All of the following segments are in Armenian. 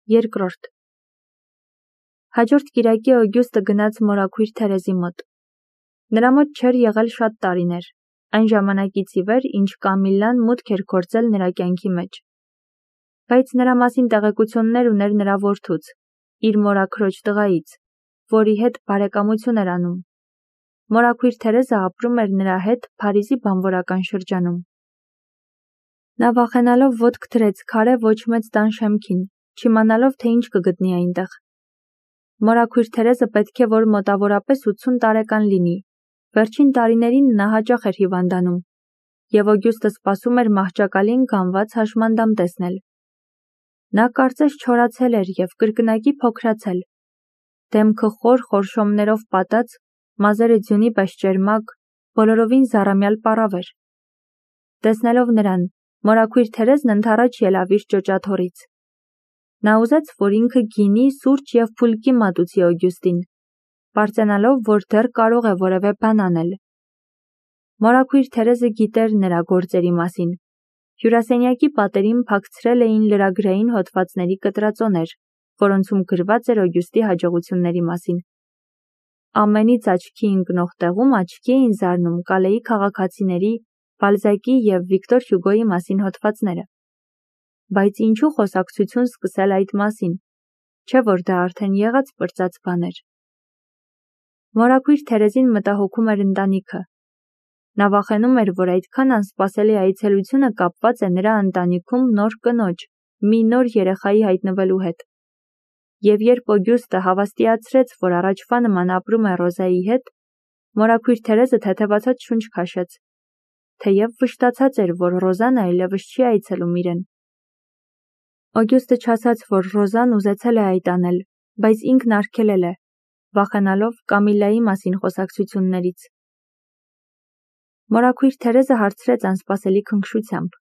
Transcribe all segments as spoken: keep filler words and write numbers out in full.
Երկրորդ Հաջորդ կիրակի Օգյուստը գնաց մորաքույր Թերեզի մոտ։ Նրա մոտ չէր եղել շատ տարիներ, այն ժամանակից ի վեր, ինչ Կամիլլան մուտք էր գործել նրա կյանքի մեջ։ Բայց նրա մասին տեղեկություններ ուներ նրա որդուց, իր մորաքրոջ տղայից, որի հետ բարեկամություն էր անում։ Մորաքույր Թերեզը ապրում էր նրա հետ Փարիզի բանվորական շրջանում։ Նա վախենալով ոտք դրեց քարե ոչ մեծ տան շեմքին, չիմանալով, թե ինչ կգտնի այնտեղ։ Մորաքույր Թերեզը պետք է որ մոտավորապես ութսուն տարեկան լինի։ Վերջին տարիներին նա հաճախ էր հիվանդանում, և Օգյուստը սպասում էր մահճակալին գանված հաշմանդամ տեսնել։ Նա կարծես չորացել էր և կրկնակի փոքրացել։ Դեմքը խոր խորշոմներով պատած, մազերը ձյունի պես ճերմակ, բոլորովին զառամյալ պառավ էր։ Տեսնելով նրան, մորաքույր Թերեզն ընդառաջ ելավ իր ճոճաթոռից։ Նա ուզեց, որ ինքը գինի, սուրճ և փուլկի մատուցի Օգյուստին, պարծենալով, որ դեռ կարող է որևէ բան անել։ Մորաքույր Թերեզը գիտեր նրա գործերի մասին։ Հյուրասենյակի պատերին փակցրել էին լրագրային հոդվածների կտրածոներ, որոնցում գրված էր Օգյուստի հաջողությունների մասին։ Ամենից աչքի ընկնող տեղում աչքի էին զարնում Կալեի քաղաքացիների, Բալզակի և Վիկտոր Հյուգոյի մասին հոդվածները։ Բայց ինչու խոսակցություն սկսել այդ մասին, չէ՞ որ դա արդեն եղած պրծած բան էր։ Մորաքույր Թերեզին մտահոգում էր ընտանիքը։ Նա վախենում էր, որ այդքան անսպասելի այցելությունը կապված է նրա ընտանիքում նոր կնոջ, մի նոր երեխայի հայտնվելու հետ։ Եվ երբ Օգյուստը հավաստիացրեց, որ առաջվա նման ապրում է Ռոզայի հետ, մորաքույր Թերեզը թեթևացած շունչ քաշեց, թեև վշտացած էր, որ Ռոզան այլևս չի այցելում իրեն։ Օգյուստը չասաց, որ Ռոզան ուզեցել է այդ անել, բայց ինքն արգելել է, վախենալով Կամիլլայի մասին խոսակցություններից։ Մորաքույր Թերեզը հարցրեց անսպասելի քնքշությամբ.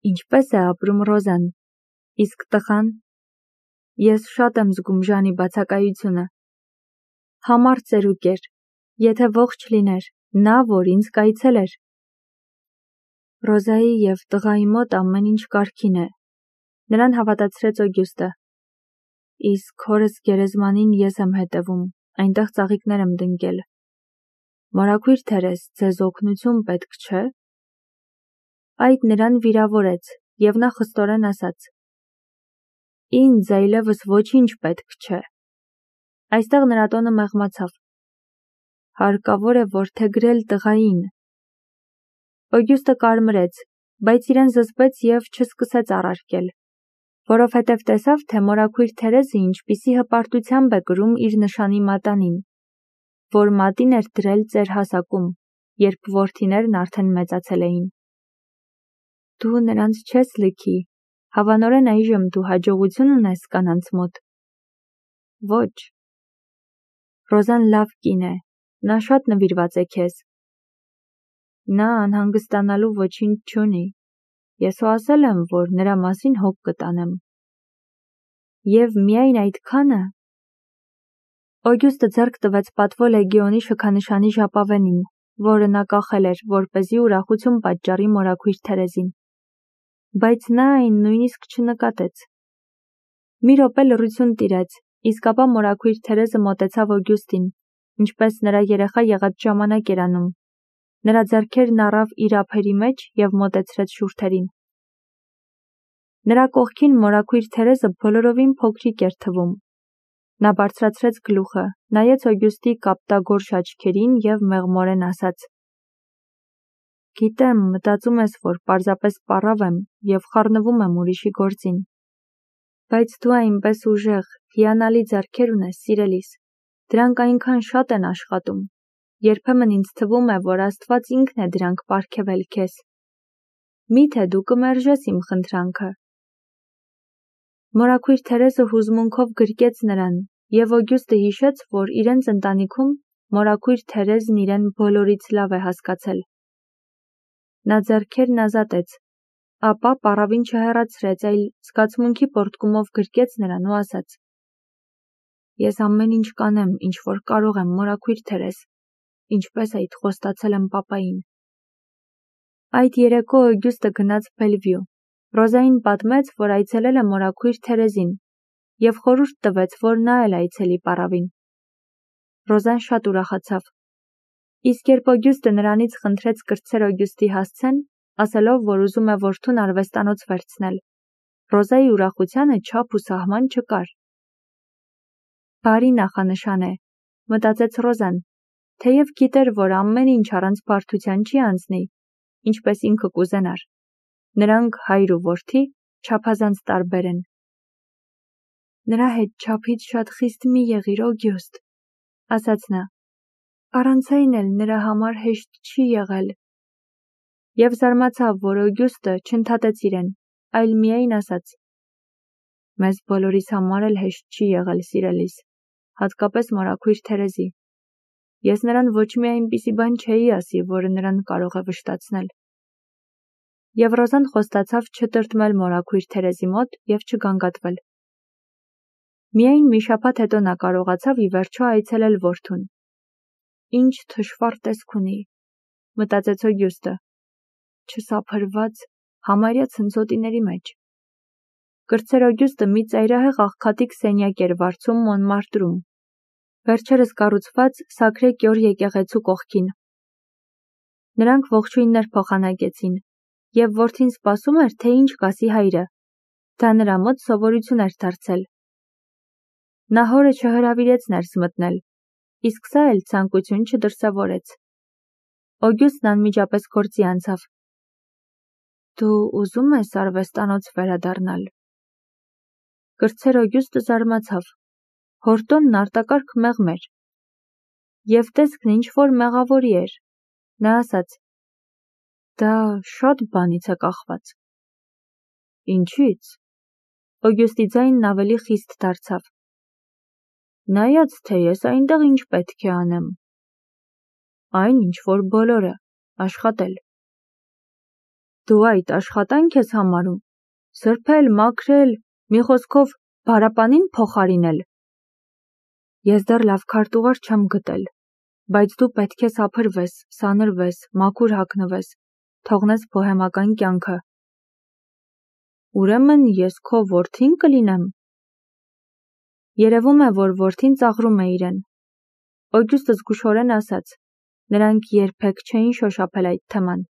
Ինչպե՞ս է ապրում Ռոզան, իսկ տղան։ Ես շատ եմ զգում Ժանի բացակայությունը։ Համառ ծերուկ էր, եթե ողջ լիներ, նա, որ ինձ կայցելեր։ Ռոզայի և տղայի մոտ ամեն ինչ կարգին է, նրան հավատացրեց Օգյուստը։ Իսկ հորս գերեզմանին ես եմ հետևում, այնտեղ ծաղիկներ եմ դնկել։ Մորաքույր Թերեզ, ձեզ օգնություն պետք չէ։ Այդ նրան վիրավորեց, և նա խստորեն ասաց. Ինձ այլևս ոչինչ պետք չէ։ Այստեղ նրա տոնը մեղմացավ։ Հարկավոր է որդեգրել տղային։ Օգյուստը կարմրեց, բայց իրեն զսպեց և չսկսեց առարկել, որովհետև տեսավ, թե մորաքույր Թերեզը ինչպիսի հպարտությամբ է կրում իր նշանի մատանին, որ մատին էր դրել ծեր հասակում, երբ որդիներն արդեն մեծացել էին։ Դու նրանց չես լքի, հավանորեն այժմ դու հաջողություն ունես կանանց մոտ։ Ոչ։ Ռոզան լավ կին է, նա շատ նվիրված է քեզ։ Նա անհանգստանալու ոչինչ չունի, ես հո ասել եմ, որ նրա մասին հոգ կտանեմ։ Եվ միայն այդքանը։ Օգյուստը ձեռք տվեց պատվո լեգիոնի շքանշանի ժապավենին, որը նա կախել էր, որպեսզի ուրախություն պատճառի մորաքույր Թերեզին։ Բայց նա այն նույնիսկ չնկատեց։ Մի րոպե լռություն տիրեց, իսկ ապա մորաքույր Թերեզը մոտեցավ Օգյուստին, ինչպես նրա երեխա եղած ժամանակ էր անում։ Նրա ձեռքերն առավ իր ափերի մեջ և մոտեցրեց շուրթերին։ Նրա կողքին մորաքույր Թերեզը բոլորովին փոքրիկ էր թվում։ Նա բարձրացրեց գլուխը, նայեց Օգյուստի կապտագորշ աչքերին և մեղմորեն ասաց. Գիտեմ, մտածում ես, որ պարզապես պառավ եմ և խառնվում եմ ուրիշի գործին։ Բայց դու այնպես ուժեղ, հիանալի ձեռքեր ունես, սիրելիս, դրանք այնքան շատ են աշխատում։ Երբեմն ինձ թվում է, որ Աստված ինքն է դրանք պարգևել քեզ։ Մի՞թե դու կմերժես իմ խնդրանքը։ Մորաքույր Թերեզը հուզմունքով գրկեց նրան, և Օգյուստը հիշեց, որ իրենց ընտանիքում մորաքույր Թերեզն իրեն բոլորից լավ է հասկացել։ Նա ձեռքերն ազատեց, ապա պառավին չհեռացրեց, այլ զգացմունքի պոռթկումով գրկեց նրան ու ասաց. Ես ամեն ինչ կանեմ, ինչ որ կարող եմ, մորաքույր Թերեզ, ինչպես այդ խոստացել եմ պապային։ Այդ երեկո Օգյուստը գնաց Բելվյու, Ռոզային պատմեց, որ այցելել է մորաքույր Թերեզին և խորհուրդ տվեց, որ նա էլ այցելի պառավին։ Ռոզան շատ ուրախացավ։ Իսկ երբ Օգյուստը նրանից խնդրեց կրտսեր Օգյուստի հասցեն, ասելով, որ ուզում է որդուն արվեստանոց վերցնել, Ռոզայի ուրախությանը չափ ու սահման չկար։ Բարի նախանշան է, մտածեց Ռոզան, թեև գիտեր, որ ամեն ինչ առանց բարդության չի անցնի, ինչպես ինքը կուզենար։ Նրանք հայր ու որդի չափազանց տարբեր են։ Նրա հետ չափից շատ խիստ մի եղիր, Օգյուստ, ասաց նա։ Առանց այն էլ նրա համար հեշտ չի եղել։ Եվ զարմացավ, որ Օգյուստը չընդհատեց իրեն, այլ միայն ասաց. Մեզ բոլորիս համար էլ հեշտ չի եղել, սիրելիս, հատկապես մորաքույր Թերեզի։ Ես նրան ոչ մի այնպիսի բան չէի ասի, որը նրան կարող է վշտացնել։ Եվ Ռոզան խոստացավ չտրտմել մորաքույր Թերեզի մոտ և չգանգատվել։ Միայն մի շաբաթ հետո նա կարողացավ ի վերջո այցելել որդուն։ Ինչ թշվառ տեսք ունի, մտածեց Օգյուստը, չսափրված, համարյա ցնցոտիների մեջ։ Կրտսեր Օգյուստը մի ծայրահեղ աղքատիկ սենյակ էր վարձում Մոնմարտրում, վերջերս կառուցված Սակրե Կյոր եկեղեցու կողքին։ Նրանք ողջույններ փոխանակեցին, և որդին սպասում էր, թե ինչ կասի հայրը։ Դա նրա մոտ սովորություն էր դարձել։ Նա հորը չհրավիրեց ներս մտնել, իսկ սա էլ ցանկություն չդրսևորեց։ Օգյուստն անմիջապես գործի անցավ։ Դու ուզում ես արվեստանոց վերադառնալ։ Կրտսեր Օգյուստը զարմացավ։ Հորտոնն արտակարգ մեղմ էր։ Եվ տեսքն ինչ-որ մեղավորի էր։ Նա ասաց. Դա շատ բանից է կախված։ Ինչի՞ց։ Օգյուստի ձայնն ավելի խիստ դարձավ։ Նայած, թե ես այնտեղ ինչ պետք է անեմ։ Այն, ինչ որ բոլորը, աշխատել։ Դու այդ աշխատանք ես համարում, սրբել, մաքրել, մի խոսքով բարապանին փոխարինել։ Ես դեռ լավ քարտուղար չեմ գտել, բայց դու պետք է սափրվես, սանրվես, մաքուր հագնվես, թողնես բոհեմական կյանքը։ Ուրեմն ես քո որդին կլինեմ։ Երևում է, որ որդին ծաղրում է իրեն։ Օգյուստը զգուշորեն ասաց. Նրանք երբեք չէին շոշափել այդ թեման։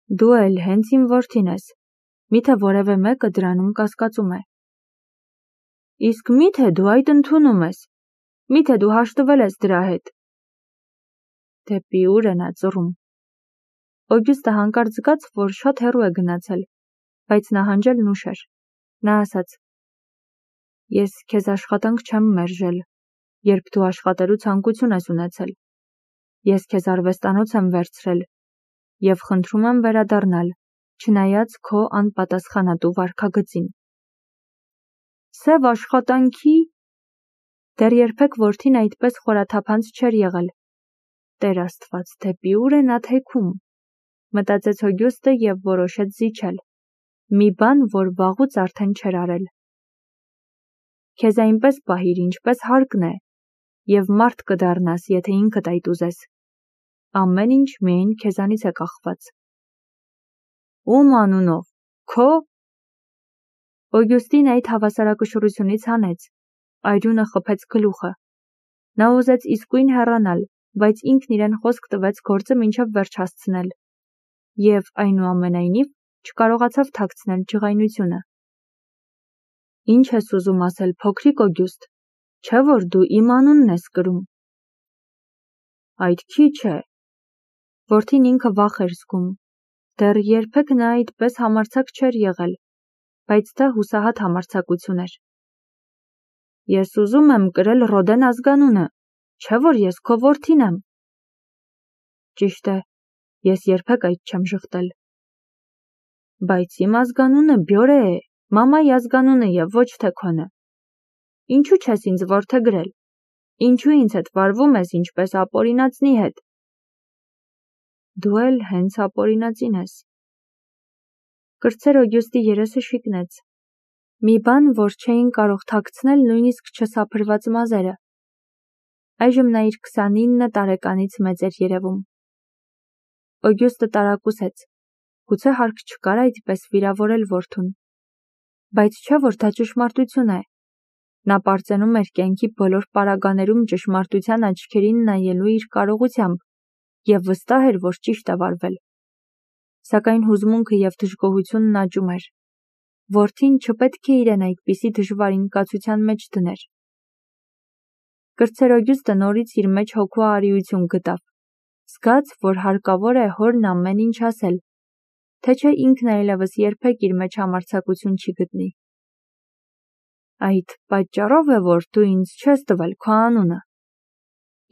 Դու էլ հենց իմ որդին ես, միթե որևէ մեկը դրանում կասկածում է։ Իսկ միթե դու այդ ընդունում ես, միթե դու հաշտվել ես դրա հետ։ Դեպի ուր է նա ծռում։ Օգյուստը հանկարծ զգաց, որ շատ հեռու է գնացել, բայց նահանջելն ուշ էր։ Նա ասաց. Ես քեզ աշխատանք չեմ մերժել, երբ դու աշխատելու ցանկություն ես ունեցել։ Ես քեզ արվեստանոց եմ վերցրել և խնդրում եմ վերադառնալ, չնայած քո անպատասխանատու վարքագծին։ Սև աշխատանքի։ Դեռ երբեք որդին այդպես խորաթափանց չէր եղել։ Տեր Աստված, դեպի ուր է նա թեքում, մտածեց Օգյուստը և որոշեց զիջել։ Մի բան, որ վաղուց արդեն չէր արել։ Քեզ այնպես պահիր, ինչպես հարկն է, և մարդ կդառնաս, եթե ինքդ այդ ուզես։ Ամեն ինչ միայն քեզանից է կախված։ Ում անունով, քո։ Օգյուստին այդ հավասարակշռությունից հանեց, այրունը խփեց գլուխը։ Նա ուզեց իսկույն հեռանալ, բայց ինքն իրեն խոսք տվեց գործը մինչև վերջ հասցնել։ Եվ այնուամենայնիվ չկարողացավ թաքցնել ջղայնությունը։ Ինչ ես ուզում ասել, փոքրիկ Օգյուստ, չէ՞ որ դու իմ անունն ես կրում։ Այդ քիչ է։ Որդին ինքը վախ էր զգում։ Դեռ երբեք նա այդպես համարձակ չէր եղել, բայց դա հուսահատ համարձակություն էր։ Ես ուզում եմ կրել Ռոդեն ազգանունը, չէ՞ որ ես քո որդին եմ։ Ճիշտ է, ես երբեք այդ չեմ ժխտել։ Բայց իմ ազգանունը Բյորե է, մամայի ազգանունը և ոչ թե քոնը։ Ինչու չես ինձ որդեգրել։ Ինչու ինձ հետ վարվում ես ինչպես ապօրինածնի հետ։ Դու էլ հենց ապօրինածին ես։ Կրտսեր Օգյուստի երեսը շիկնեց։ Մի բան, որ չէին կարող թաքցնել նույնիսկ չսափրված մազերը։ Այժմ նա իր քսանինը տարեկանից մեծ էր երևում։ Օգյուստը տարակուսեց։ Գուցե հարկ չկար այդպես վիրավորել որդուն։ Բայց չէ, որ դա ճշմարտություն է։ Նա պարծենում էր կյանքի բոլոր պարագաներում ճշմարտության աչքերին նայելու իր կարողությամբ և վստահ էր, որ ճիշտ է վարվել։ Սակայն հուզմունքը և դժգոհությունն աճում էր։ Որդին չպետք է իրեն այդպիսի դժվարին կացության մեջ դներ։ Կրտսեր նորից իր մեջ հոգու արիություն գտավ, զգաց, որ հարկավոր է հորն ամեն ինչ ասել, թե չէ ինքն այլևս երբեք իր մեջ համարձակություն չի գտնի։ Այդ պատճառով է, որ դու ինձ չես տվել քո անունը,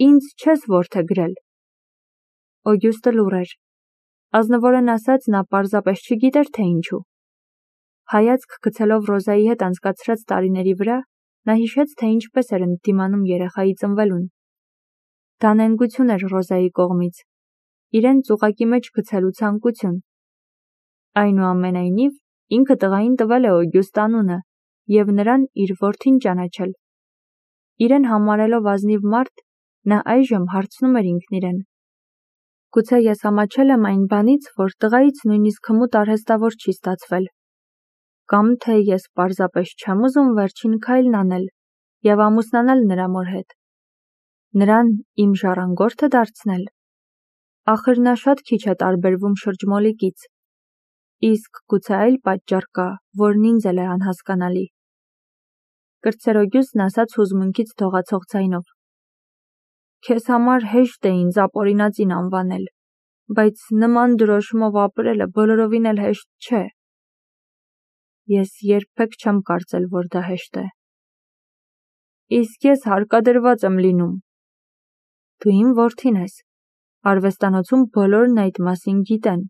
ինձ չես որդեգրել։ Օգյուստը լուռ էր։ Ազնվորեն ասած, նա պարզապես չգիտեր, թե ինչու։ Հայացք գցելով Ռոզայի հետ անցկացրած տարիների վրա, նա հիշեց, թե ինչպես էր ընդդիմանում երեխայի ծնվելուն։ Դա նենգություն էր Ռոզայի կողմից, իրեն ծուղակի մեջ գցելու ցանկություն։ Այնուամենայնիվ, ինքը տղային տվել է Օգյուստ անունը և նրան իր որդին ճանաչել։ Իրեն համարելով ազնիվ մարդ, նա այժմ հարցնում էր ինքն իրեն. գուցե ես ամաչել եմ այն բանից, որ տղայից նույնիսկ հմուտ արհեստավոր չի ստացվել, կամ թե ես պարզապես չեմ ուզում վերջին քայլն անել և ամուսնանալ նրա մոր հետ, նրան իմ ժառանգորդը դարձնել։ Ախր նա շատ քիչ է տարբերվում շրջմոլիկից, իսկ գուցե այլ պատճառ կա, որն ինձ էլ է անհասկանալի։ Կրտսեր Օգյուստն ասաց հուզմունքից դողացող ձայնով. Քեզ համար հեշտ է ինձ ապօրինածին անվանել, բայց նման դրոշմով ապրելը բոլորովին էլ հեշտ չէ։ Ես երբեք չեմ կարծել, որ դա հեշտ է։ Իսկ ես հարկադրված եմ լինում։ Դու իմ որդին ես, արվեստանոցում բոլորն այդ մասին գիտեն։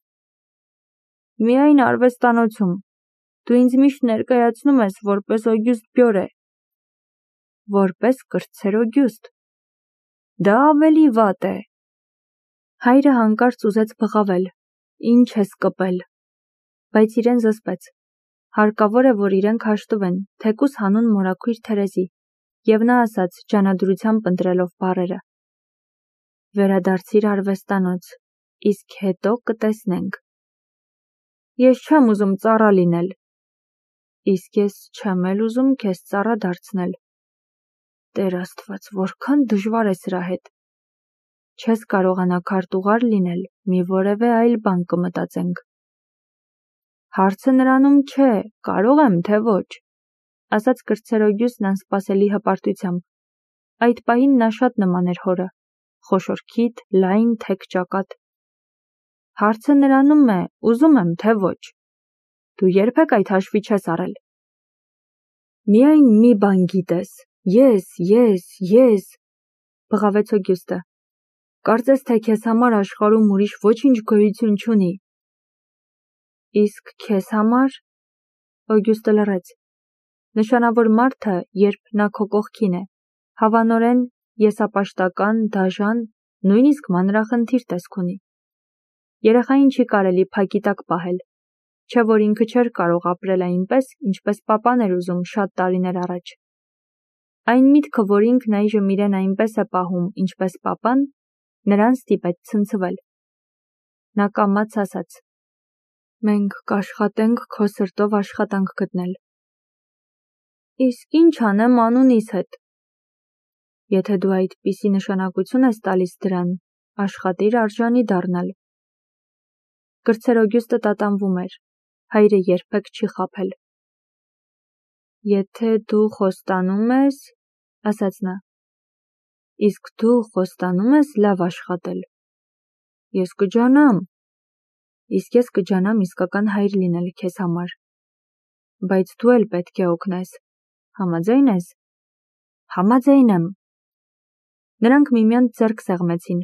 Միայն արվեստանոցում, դու ինձ միշտ ներկայացնում ես որպես Օգյուստ Բյորե։ Որպես կրտսեր Օգյուստ։ Դա ավելի վատ է։ Հայրը հանկարծ ուզեց բղավել, ինչ ես կպել, բայց իրեն զսպեց։ Հարկավոր է, որ իրենք հաշտվեն, թեկուզ հանուն մորաքույր Թերեզի, և նա ասաց, ջանադրությամբ ընտրելով բառերը. Վերադարձիր արվեստանոց, իսկ հետո կտեսնենք։ Ես չեմ ուզում ծառա լինել։ Իսկ ես չեմ էլ ուզում քեզ ծառա դարձնել։ Տեր Աստված, որքան դժվար է սրա հետ։ Չես կարողանա քարտուղար լինել, մի որևէ այլ բան կմտածենք։ Հարցը նրանում չէ, կարող եմ, թե ոչ, ասաց կրտսեր Օգյուստն անսպասելի հպարտությամբ։ Այդ պահին նա շատ նման էր հորը, խոշոր քիթ, լայն, թեք ճակատ։ Հարցը նրանում է, ուզում եմ, թե ոչ։ Դու երբեք այդ հաշվի չես առել։ Միայն մի բան գիտես, ես, ես, ես, բղավեց Օգյուստը։ Կարծես թե քեզ համար աշխարհում ուրիշ ոչինչ գոյություն չունի։ Իսկ քեզ համար։ Օգյուստը լռեց։ Նշանավոր մարդը, երբ նա քո կողքին է, հավանորեն եսապաշտական, դաժան, նույնիսկ մանրախնդիր տեսք ունի։ Երեխային չի կարելի փակի տակ պահել, չէ որ ինքը չէր կարող ապրել այնպես, ինչպես պապան էր ուզում շատ տարիներ առաջ։ Այն միտքը, որ ինքն այժմ իրեն այնպես է պահում, ինչպես պապան, նրան ստիպեց ցնցվել։ Նա կամաց ասաց. Մենք կաշխատենք քո սրտով աշխատանք գտնել։ Իսկ ինչ անեմ անունիս հետ։ Եթե դու այդպիսի նշանակություն ես տալիս դրան, աշխատիր արժանի դառնալ։ Կրտսեր Օգյուստը տատանվում էր, հայրը երբեք չի խաբել։ Եթե դու խոստանում ես, ասաց նա, իսկ դու խոստանում ես լավ աշխատել։ Ես կջանամ, իսկ ես կջանամ իսկական հայր լինել քեզ համար։ Բայց դու էլ պետք է օգնես, համաձայն ես։ Համաձայն եմ։ Նրանք միմյանց ձեռք սեղմեցին։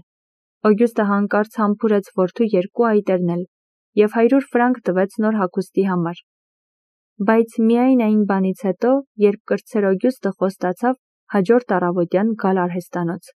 Օգյուստը հանկարծ համբուրեց որդու երկու այտերն էլ և հարյուր ֆրանկ տվեց նոր հագուստի համար։ Բայց միայն այն բանից հետո, երբ կրտսեր Օգյուստը խոստացավ հաջորդ առավոտյան գալ արհեստանոց։